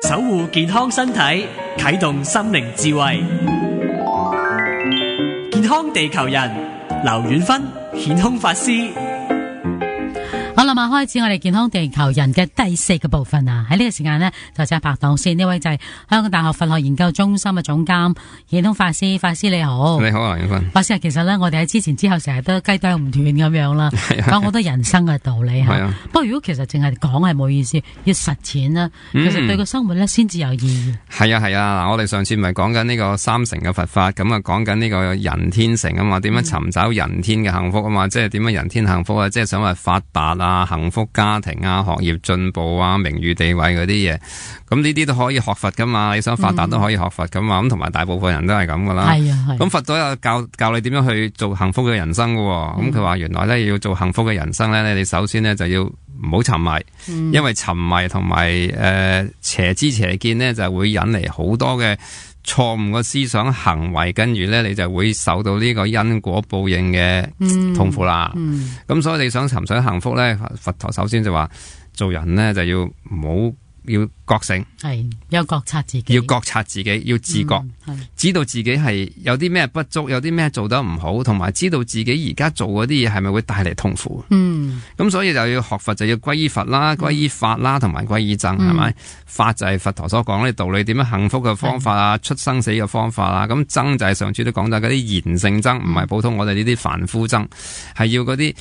守護健康身體，啟動心靈智慧。健康地球人，劉遠芬顯空法師。好啦，開始我哋健康地球人嘅第4個部分啊！喺呢個時間呢，就請拍檔先，呢位就係香港大學佛學研究中心嘅總監顯空法師。法師你好。你好啊，遠芬。法師，其實呢，我哋喺之前之後成日都雞啄唔斷咁樣啦，講好多人生嘅道理吓。不過如果其實淨係講係冇意思，要實踐啦，其實對個生活呢先至有意義。係啊，嗱，我哋上次咪講緊呢個三乘嘅佛法，咁啊講緊呢個人天乘啊嘛，點樣尋找人天嘅幸福啊嘛，即係點樣人天幸福啊，即係想話發達啊、幸福家庭啊、學業進步啊、名譽地位嗰啲嘢，咁呢啲都可以學佛噶嘛，你想發達都可以學佛噶嘛，咁同埋大部分人都係咁噶啦。咁佛都有教你點樣去做幸福嘅人生噶，咁佢話原來咧要做幸福嘅人生咧，你首先咧就要唔好沉迷，因為沉迷同埋邪知邪見咧就會引嚟好多嘅錯誤嘅思想行為，跟住咧你就會受到呢個因果報應嘅痛苦啦。咁所以你想尋找幸福咧，佛陀首先就話做人咧就要唔好要覺醒，係要覺察自己，要覺察自己，要自覺，知道自己係有啲咩不足，有啲咩做得唔好，同埋知道自己而家做嗰啲嘢係咪會帶嚟痛苦。咁所以就要學佛，就要歸依佛啦，歸依法啦，同埋歸依僧，係咪？法就係佛陀所講嘅道理，點樣幸福嘅方法啊，出生死嘅方法啊。咁僧就係上次都講到嗰啲賢聖僧，唔係普通我哋呢啲凡夫僧，係要嗰啲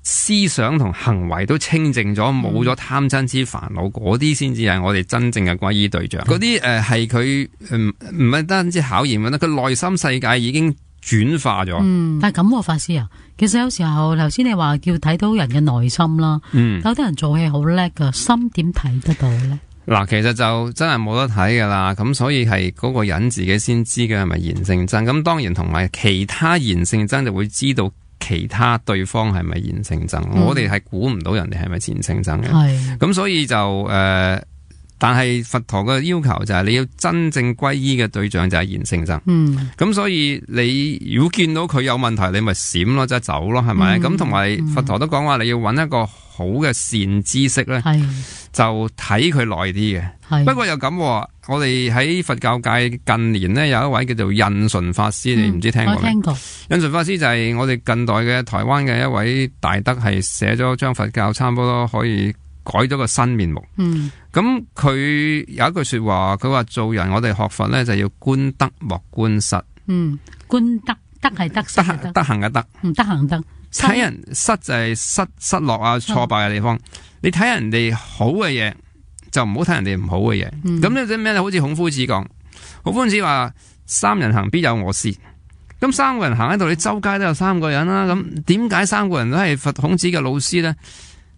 思想同行為都清淨咗，冇咗貪嗔痴煩惱，嗰啲先至係我哋真正嘅歸依對象。嗰啲係佢唔係單止考驗嘅，佢內心世界已經轉化咗。但係咁，法師啊，其實有時候頭先你話叫睇到人嘅內心啦，有啲人做戲好叻噶，心點睇得到咧？嗱，其實就真係冇得睇噶啦，咁所以係嗰個人自己先知嘅係咪賢聖僧。咁當然同埋其他賢聖僧就會知道其他對方係咪賢聖僧，我哋係估唔到人哋係咪賢聖僧嘅。咁所以就但係佛陀嘅要求就係你要真正歸依嘅對象就係賢聖僧。咁所以你如果見到佢有問題，你咪閃咯，即係走咯，係咪？咁同埋佛陀都講話你要揾一個好嘅善知識咧，就睇佢耐啲嘅。不過又咁，我哋喺佛教界近年呢，有一位叫做印順法師，你唔知聽過未？我聽過。印順法師就係我哋近代嘅台灣嘅一位大德，係寫咗將佛教差唔多可以改咗個新面目。咁佢有一句說話，佢話做人我哋學佛呢，就要觀德莫觀失。觀德，德係得失嘅德，德行嘅德，德行德。睇人失就係失落啊，挫敗嘅地方。你睇人哋好嘅嘢，就唔好睇人哋唔好嘅嘢。咁呢啲咩咧？好似孔夫子講，孔夫子話三人行必有我師。咁三個人行喺度，你周街都有三個人啦。咁點解三個人都係佛孔子嘅老師咧？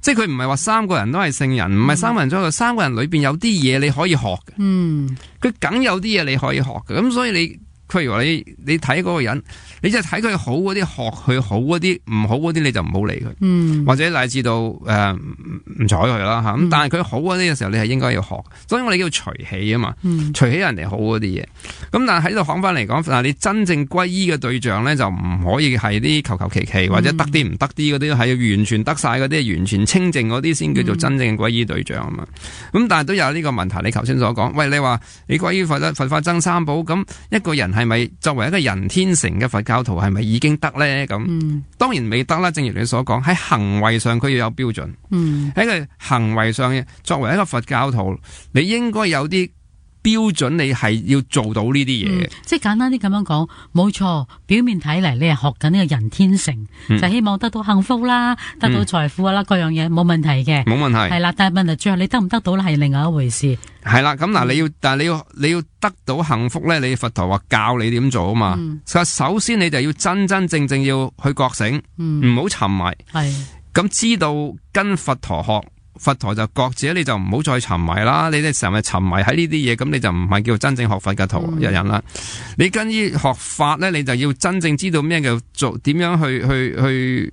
即係佢唔係話三個人都係聖人，唔係三個人中，三個人裏邊有啲嘢你可以學嘅。佢梗有啲嘢你可以學嘅。咁所以你，譬如話你睇嗰個人，你就睇佢好嗰啲，學佢好嗰啲，唔好嗰啲你就唔好理佢。或者乃至到唔睬佢啦吓。咁但係佢好嗰啲嘅時候，你係應該要學。所以我哋叫隨喜啊嘛，隨喜人哋好嗰啲嘢。咁但係喺度講翻嚟講，嗱，你真正歸依嘅對象咧，就唔可以係啲求求其其或者得啲唔得啲嗰啲，係完全得晒嗰啲，完全清淨嗰啲先叫做真正嘅歸依對象啊嘛。咁但係都有呢個問題，你頭先所講，喂，你話你歸依佛法僧三寶，咁一個人係咪作為一個人天乘嘅佛教徒係咪已經得咧？咁當然未得啦。正如你所講，喺行為上佢要有標準。喺個行為上，作為一個佛教徒，你應該有啲標準，你係要做到呢啲嘢。即係簡單啲咁樣講，冇錯。表面睇嚟，你係學緊呢個人天乘，就希望得到幸福啦，得到財富啦，各樣嘢冇問題嘅，冇問題。係啦，但係問題最後你得唔得到咧，係另外一回事。係啦，咁嗱，但係你要得到幸福咧，你佛陀話教你點做啊嘛。首先你就要真真正正要去覺醒，唔好沉迷。係咁知道跟佛陀學。佛陀就覺者，你就唔好再沉迷啦。你哋成日沉迷喺呢啲嘢，咁你就唔係叫真正學佛嘅徒人啦。你跟於學法咧，你就要真正知道咩叫做點樣去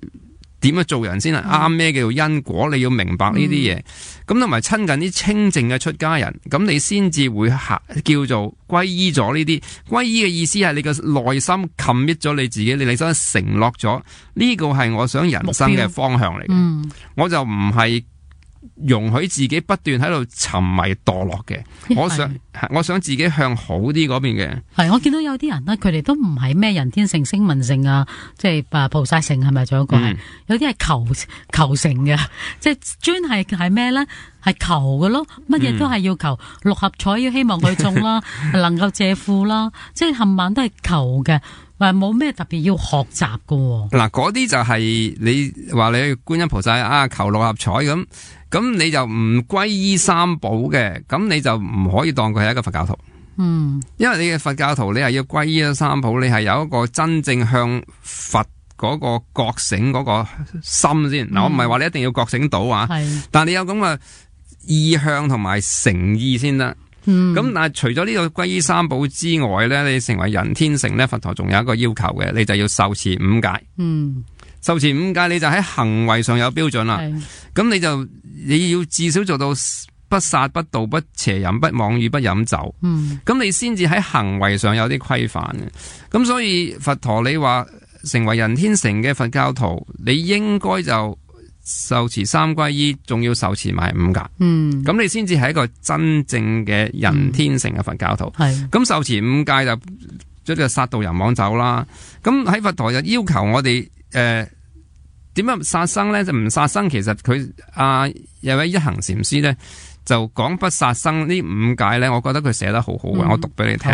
點樣做人先係啱，咩叫因果，你要明白呢啲嘢。咁同埋親近啲清淨嘅出家人，咁你先至會叫做歸依咗呢啲。歸依嘅意思係你個內心 commit 咗你自己，你想承諾咗呢個係我想人生嘅方向嚟嘅。我就唔係容許自己不斷喺度沉迷墮落嘅。我想自己向好啲嗰邊嘅。係，我見到有啲人咧，佢哋都唔係咩人天性、聲聞性啊，即係菩薩性係咪？仲有一個係有啲係求成嘅，即係專係咩咧？係求嘅咯，乜嘢都係要求，六合彩要希望佢中啦，能夠借庫啦，即係冚唪唥都係求嘅。話冇咩特別要學習㗎。嗱，嗰啲就係你話你去觀音菩薩啊，求六合彩咁你就唔歸依三寶嘅，咁你就唔可以當佢係一個佛教徒。因為你嘅佛教徒，你係要歸依三寶，你係有一個真正向佛嗰個覺醒嗰個心先。嗱，我唔係話你一定要覺醒到啊，但係你有咁嘅意向同埋誠意先得。咁但係除咗呢個歸依三寶之外咧，你成為人天乘咧，佛陀仲有一個要求嘅，你就要受持五戒。受持五戒，你就喺行為上有標準啦。咁你要至少做到不殺、不盜、不邪淫、不妄語、不飲酒。咁你先至喺行為上有啲規範嘅。咁所以佛陀你話成為人天乘嘅佛教徒，你應該就受持三歸依，仲要受持埋五戒。咁你先至係一個真正嘅人天乘嘅佛教徒。咁受持五戒就即係殺盜淫妄酒啦。咁喺佛陀就要求我哋點樣殺生咧？就唔殺生，其實佢有位一行禪師咧就講不殺生呢五戒咧，我覺得佢寫得好好嘅。我讀俾你聽。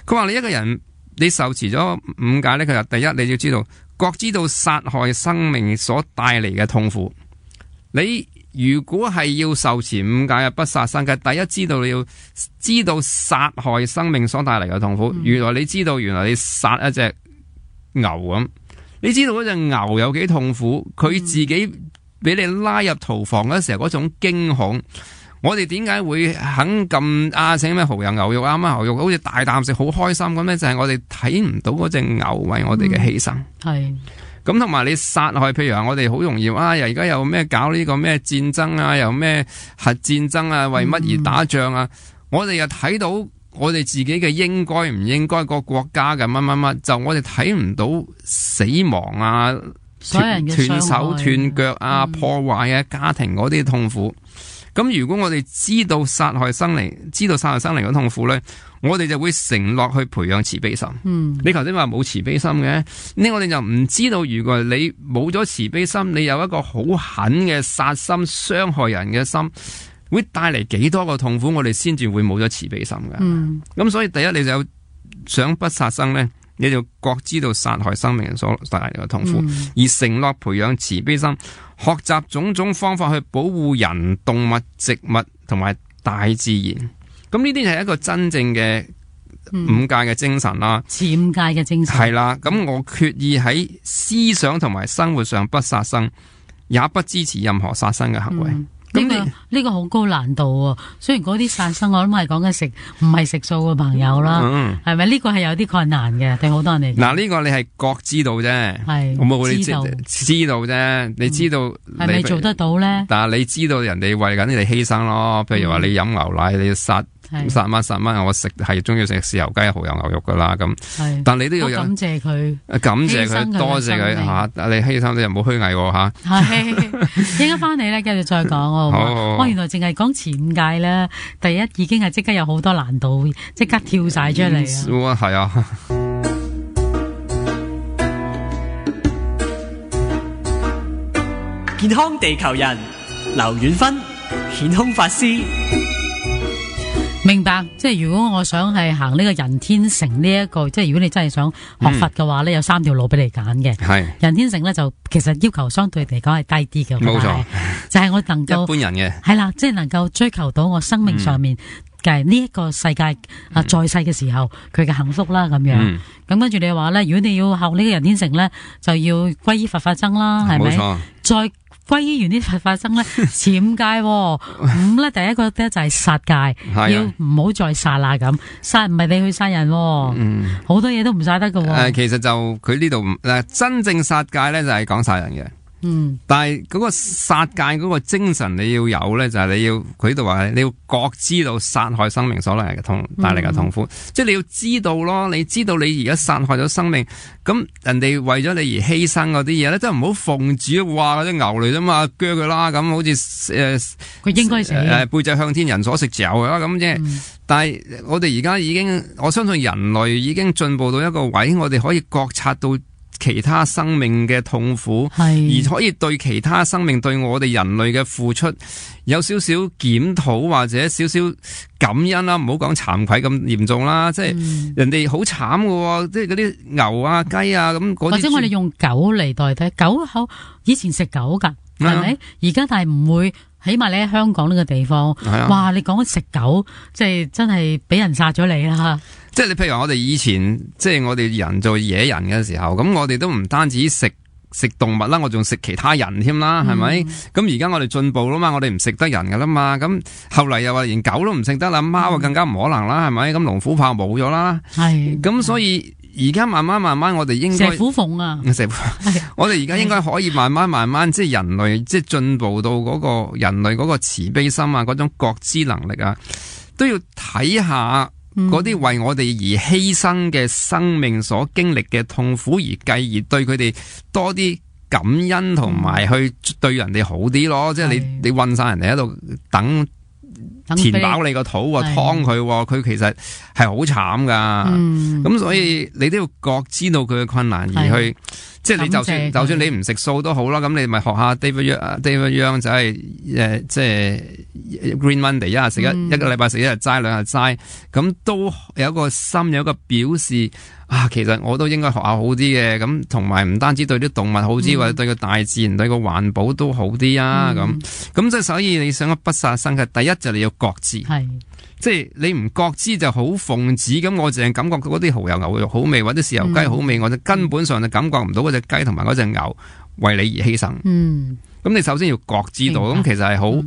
佢話你一個人你受持咗五戒咧，佢就第一你要知道。覺知道殺害生命所帶嚟嘅痛苦，你如果係要受持五戒嘅不殺生嘅，第一你要知道殺害生命所帶嚟嘅痛苦。原來你殺一隻牛咁，你知道嗰隻牛有幾痛苦，佢自己俾你拉入屠房嗰時候嗰種驚恐。我哋點解會肯咁請咩蠔油牛肉牛肉好似大啖食好開心咁咧？就係我哋睇唔到嗰隻牛為我哋嘅犧牲。咁同埋你殺害，譬如話我哋好容易而家又咩搞呢個咩戰爭啊，又咩核戰爭啊，為乜而打仗啊？我哋又睇到我哋自己嘅應該唔應該，個國家嘅乜，就我哋睇唔到死亡啊、斷手斷腳啊、破壞啊、家庭嗰啲痛苦。咁如果我哋知道殺害生靈嘅痛苦咧，我哋就會承諾去培養慈悲心。你頭先話冇慈悲心嘅，呢我哋就唔知道，如果你冇咗慈悲心，你有一個好狠嘅殺心、傷害人嘅心，會帶嚟幾多個痛苦，我哋先至會冇咗慈悲心嘅。咁所以第一，你就想不殺生咧，你就覺知道殺害生命所帶嚟嘅痛苦，而承諾培養慈悲心。學習種種方法去保護人、動物、植物同埋大自然，咁呢啲係一個真正嘅五戒嘅精神啦。持五戒嘅精神係啦。咁我決意喺思想同埋生活上不殺生，也不支持任何殺生嘅行為。呢個好高難度喎。雖然嗰啲殺生，我諗係講緊食唔係食素嘅朋友啦，係咪？呢個係有啲困難嘅，對好多人嚟講。嗱，呢個你係覺知道啫，係我知道啫。你知道係咪做得到咧？但係你知道人哋為緊你哋犧牲咯。譬如話你飲牛奶，你要殺蚊，我食係中意食豉油雞、蠔油牛肉噶啦咁。但你都要感謝佢，多謝佢吓。你犧牲你又冇虛偽吓。係應該翻嚟咧，繼續再講。我原來淨係講持五戒咧，第一已經係即刻有好多難度，即刻跳晒出嚟啊！係啊。健康地球人劉遠芬顯空法師。明白，即係如果我想係行呢個人天乘呢一個，即係如果你真係想學佛嘅話咧，有三條路俾你揀嘅。係人天乘咧，就其實要求相對嚟講係低啲嘅。冇錯，就係我能夠一般人嘅係啦，即係能夠追求到我生命上面嘅呢一個世界在世嘅時候佢嘅幸福啦咁樣。咁跟住你話咧，如果你要學呢個人天乘咧，就要歸依佛法僧啦，係咪？冇錯。再歸依完啲佛法僧咧，持五戒。五咧，第一個咧就係殺戒，要唔好再殺啦咁。殺唔係你去殺人，好多嘢都唔殺得噶。其實就佢呢度真正殺戒咧就係講殺人嘅。但係嗰個殺戒嗰個精神你要有咧，就係你要佢度話你要覺知到殺害生命所帶嚟嘅痛苦，即係你要知道咯，你知道你而家殺害咗生命，咁人哋為咗你而犧牲嗰啲嘢咧，真係唔好奉旨話嗰啲牛嚟啫嘛，鋸佢啦，咁好似佢應該死背脊向天，人所食嚼啊咁啫。但係我哋而家已經，我相信人類已經進步到一個位，我哋可以覺察到其他生命嘅痛苦，而可以對其他生命對我哋人類嘅付出有少少檢討或者少少感恩啦，唔好講慚愧咁嚴重啦，即係人哋好慘㗎，即係嗰啲牛啊雞啊咁嗰啲，或者我哋用狗嚟代替狗口，以前食狗㗎，係咪？而家但係唔會。起碼你喺香港呢個地方，哇！你講食狗，即係真係俾人殺咗你啦。即係你譬如話我哋以前，即係我哋人做野人嘅時候，咁我哋都唔單止食動物啦，我仲食其他人添啦，係咪？咁而家我哋進步啦嘛，我哋唔食得人噶啦嘛，咁後嚟又話連狗都唔食得啦，貓啊更加唔可能啦，係咪？咁龍虎豹冇咗啦，係咁所以。而家慢慢，我哋應該蛇虎鳳啊！我哋而家應該可以慢慢，即係人類即係進步到嗰個人類嗰個慈悲心啊，嗰種覺知能力啊，都要睇下嗰啲為我哋而犧牲嘅生命所經歷嘅痛苦，而繼而對佢哋多啲感恩，同埋去對人哋好啲咯。即係你韞晒人哋喺度等。填飽你個肚喎，劏佢喎，佢其實係好慘噶。咁所以你都要覺知到佢嘅困難而去，即係你就算你唔食素都好啦，咁你咪學下 David Young 就係即係 Green Monday 一日食一個禮拜食一日齋兩日齋，咁都有一個心有一個表示啊，其實我都應該學下好啲嘅，咁同埋唔單止對啲動物好啲，或者對個大自然對個環保都好啲啊，咁即係所以你想不殺生嘅第一就你要覺知，即係你唔覺知就好奉旨，咁我淨係感覺嗰啲蠔油牛肉好味或者豉油雞好味，我就根本上就感覺唔到嗰隻雞同埋嗰隻牛為你而犧牲。咁你首先要覺知到，咁其實係好。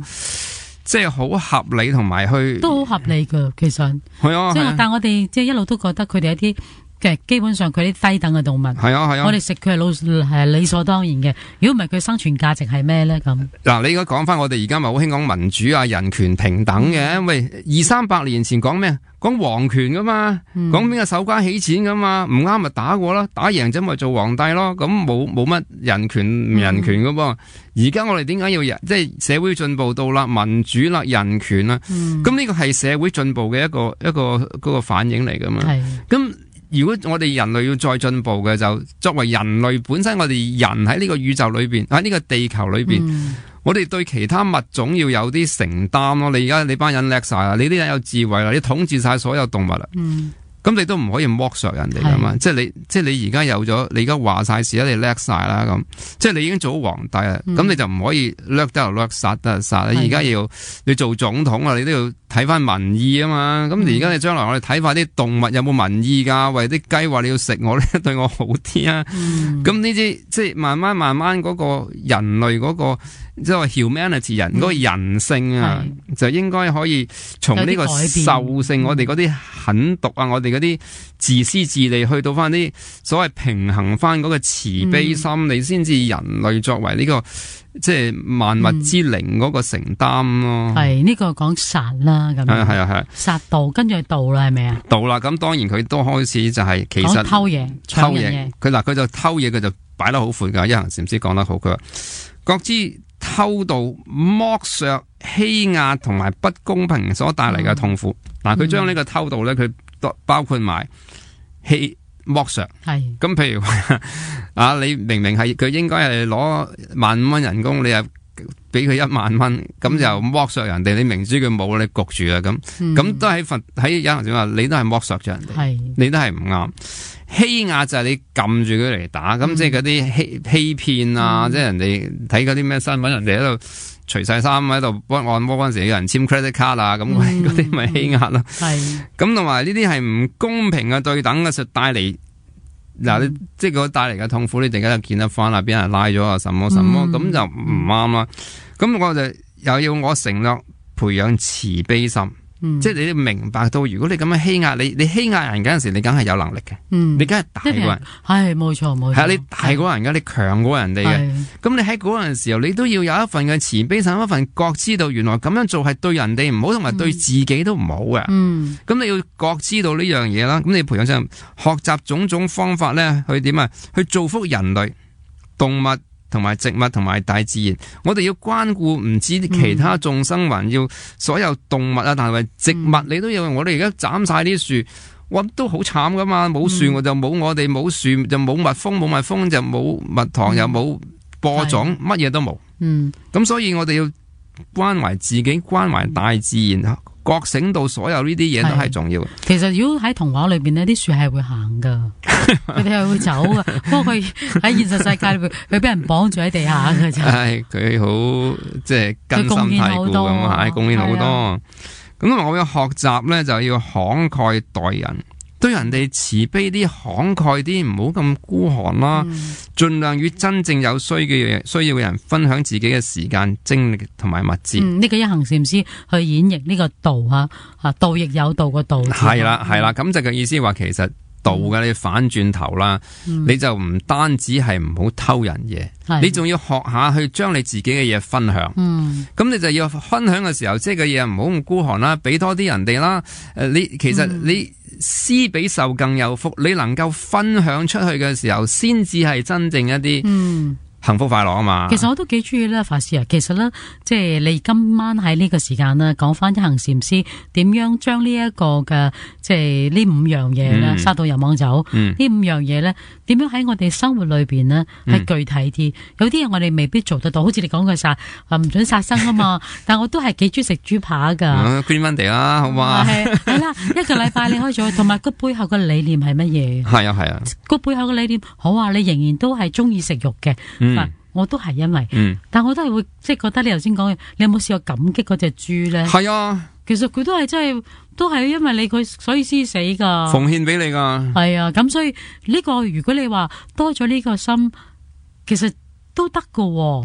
即係好合理，同埋去都好合理噶，其實係啊。即係但係我哋即係一路都覺得佢哋一啲嘅基本上佢啲低等嘅動物係啊，我哋食佢係理所當然嘅。如果唔係佢生存價值係咩咧？咁嗱，你而家講翻我哋而家咪好興講民主啊、人權平等嘅。喂，200-300年前講咩？講皇權噶嘛，講邊個守關起錢噶嘛，唔啱咪打過啦，打贏咗咪做皇帝咯。咁冇乜人權唔人權噶噃。而家我哋點解要即係社會進步到啦，民主啦、人權啦，咁呢個係社會進步嘅一個嗰個反應嚟噶嘛。咁如果我哋人類要再進步嘅，就作為人類本身，我哋人喺呢個宇宙裏邊，喺呢個地球裏邊。我哋對其他物種要有啲承擔咯。你而家你班人叻晒啦，你啲人有智慧啦，你統治晒所有動物啦。咁你都唔可以剝削人哋噶嘛？即係你而家有咗，你而家話晒事啦，你叻晒啦咁。即係你已經做咗皇帝啦，咁你就唔可以掠得就掠，殺得就殺。你而家要你做總統啊，你都要睇翻民意啊嘛。咁而家你將來我哋睇翻啲動物有冇民意噶？喂，啲雞話你要食我咧，對我好啲啊。咁呢啲即係慢慢嗰個人類嗰個即係話 humanity 人嗰個人性啊，就應該可以從呢個獸性，我哋嗰啲狠毒啊，我哋嗰啲自私自利，去到翻啲所謂平衡翻嗰個慈悲心，你先至人類作為呢個即係萬物之靈嗰個承擔咯。係呢個講殺啦，咁係殺盜，跟住係盜啦，係咪啊？盜啦，咁當然佢都開始就係其實偷嘢，佢就偷嘢，佢就擺得好闊噶。一行禪師講得好，佢話覺知偷盜、剝削、欺壓同埋不公平所帶嚟嘅痛苦。嗱，佢將呢個偷盜咧，佢包括埋剝削。係咁，譬如話啊，你明明係佢應該係攞15,000蚊人工，你又俾佢1萬蚊，咁就剝削人哋。你明知佢冇，你焗住啊咁都喺有人話你都係剝削咗人哋，你都係唔啱。欺壓就係你撳住佢嚟打，咁即係嗰啲欺騙啊，即係人哋睇嗰啲咩新聞，人哋喺度除晒衫喺度幫按摩嗰陣時，有人簽 credit card 啊，咁嗰啲咪欺壓咯。咁同埋呢啲係唔公平嘅對等嘅，就帶嚟嗱，即係嗰帶嚟嘅痛苦，你突然間就見得翻啦，俾人拉咗啊，什麼什麼，咁就唔啱啦。咁我就又要我承諾培養慈悲心。即係你要明白到，如果你咁樣欺壓你欺壓人嗰陣時，你梗係有能力嘅，你梗係大過人，係冇錯冇錯，係啊，你大過人嘅，你強過人哋嘅，咁你喺嗰陣時候，你都要有一份嘅慈悲心，一份覺知道原來咁樣做係對人哋唔好，同埋對自己都唔好嘅。咁你要覺知道呢樣嘢啦，咁你培養上學習種種方法咧，去點啊？去造福人類、動物同埋植物同埋大自然。我哋要關顧唔止其他眾生還要所有動物啊，但係植物你都要。我哋而家斬晒啲樹，哇，都好慘噶嘛！冇樹我就冇我哋，冇樹就冇蜜蜂，冇蜜蜂就冇蜜糖，又冇播種，乜嘢都冇。咁所以我哋要關懷自己，關懷大自然。覺醒到所有呢啲嘢都係重要。其實如果喺童話裏邊呢啲樹係會行噶，佢哋係會走噶。不過佢喺現實世界裏邊，佢俾人綁住喺地下嘅啫。係佢好即係根深蒂固咁，係貢獻好多。咁我要學習咧，就要慷慨待人，對人哋慈悲啲、慷慨啲，唔好咁孤寒啦。盡量與真正有需要嘅人分享自己嘅時間、精力同埋物資。呢個一行禪師去演繹呢個道吓，道亦有道個道。係啦，咁就嘅意思話，其實道嘅你反轉頭啦，你就唔單止係唔好偷人嘢，你仲要學下去將你自己嘅嘢分享。咁你就要分享嘅時候，即係嘅嘢唔好咁孤寒啦，俾多啲人哋啦。其實你施比受更有福，你能夠分享出去嘅時候，先至係真正一啲幸福快樂啊嘛。其實我都幾中意咧，法師啊。其實咧，即係你今晚喺呢個時間咧，講翻一行禪師點樣將呢一個嘅即係呢5樣嘢咧，殺到人亡走。呢5樣嘢咧，點樣喺我哋生活裏邊呢係具體啲？有啲嘢我哋未必做得到，好似你講嘅殺唔准殺生啊嘛。但我都係幾中意食豬扒噶。Green Monday 啦，好嘛？係啦，一個禮拜你可以做，同埋個背後嘅理念係乜嘢？係啊，個背後嘅理念好啊，你仍然都係中意食肉嘅。我都係因為，但我都係會即係覺得你頭先講嘅，你有冇試過感激嗰隻豬咧？係啊，其實佢都係真係，都係因為你佢所以先死噶，奉獻俾你噶。係啊，咁所以呢個如果你話多咗呢個心，其實都得噶，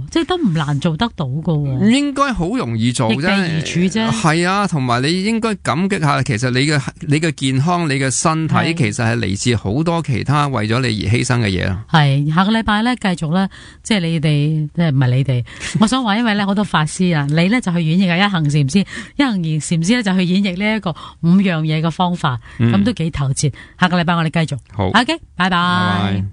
即係都唔難做得到噶。應該好容易做啫，易地而處啫。係啊，同埋你應該感激下，其實你嘅健康、你嘅身體，其實係嚟自好多其他為咗你而犧牲嘅嘢咯。係下個禮拜咧，繼續咧，即係你哋，即係唔係你哋？我想話，因為咧好多法師啊，你咧就去演繹一行禪師，一行禪師咧就去演繹呢一個5樣嘢嘅方法，咁都幾透徹。下個禮拜我哋繼續。好，OK，拜拜。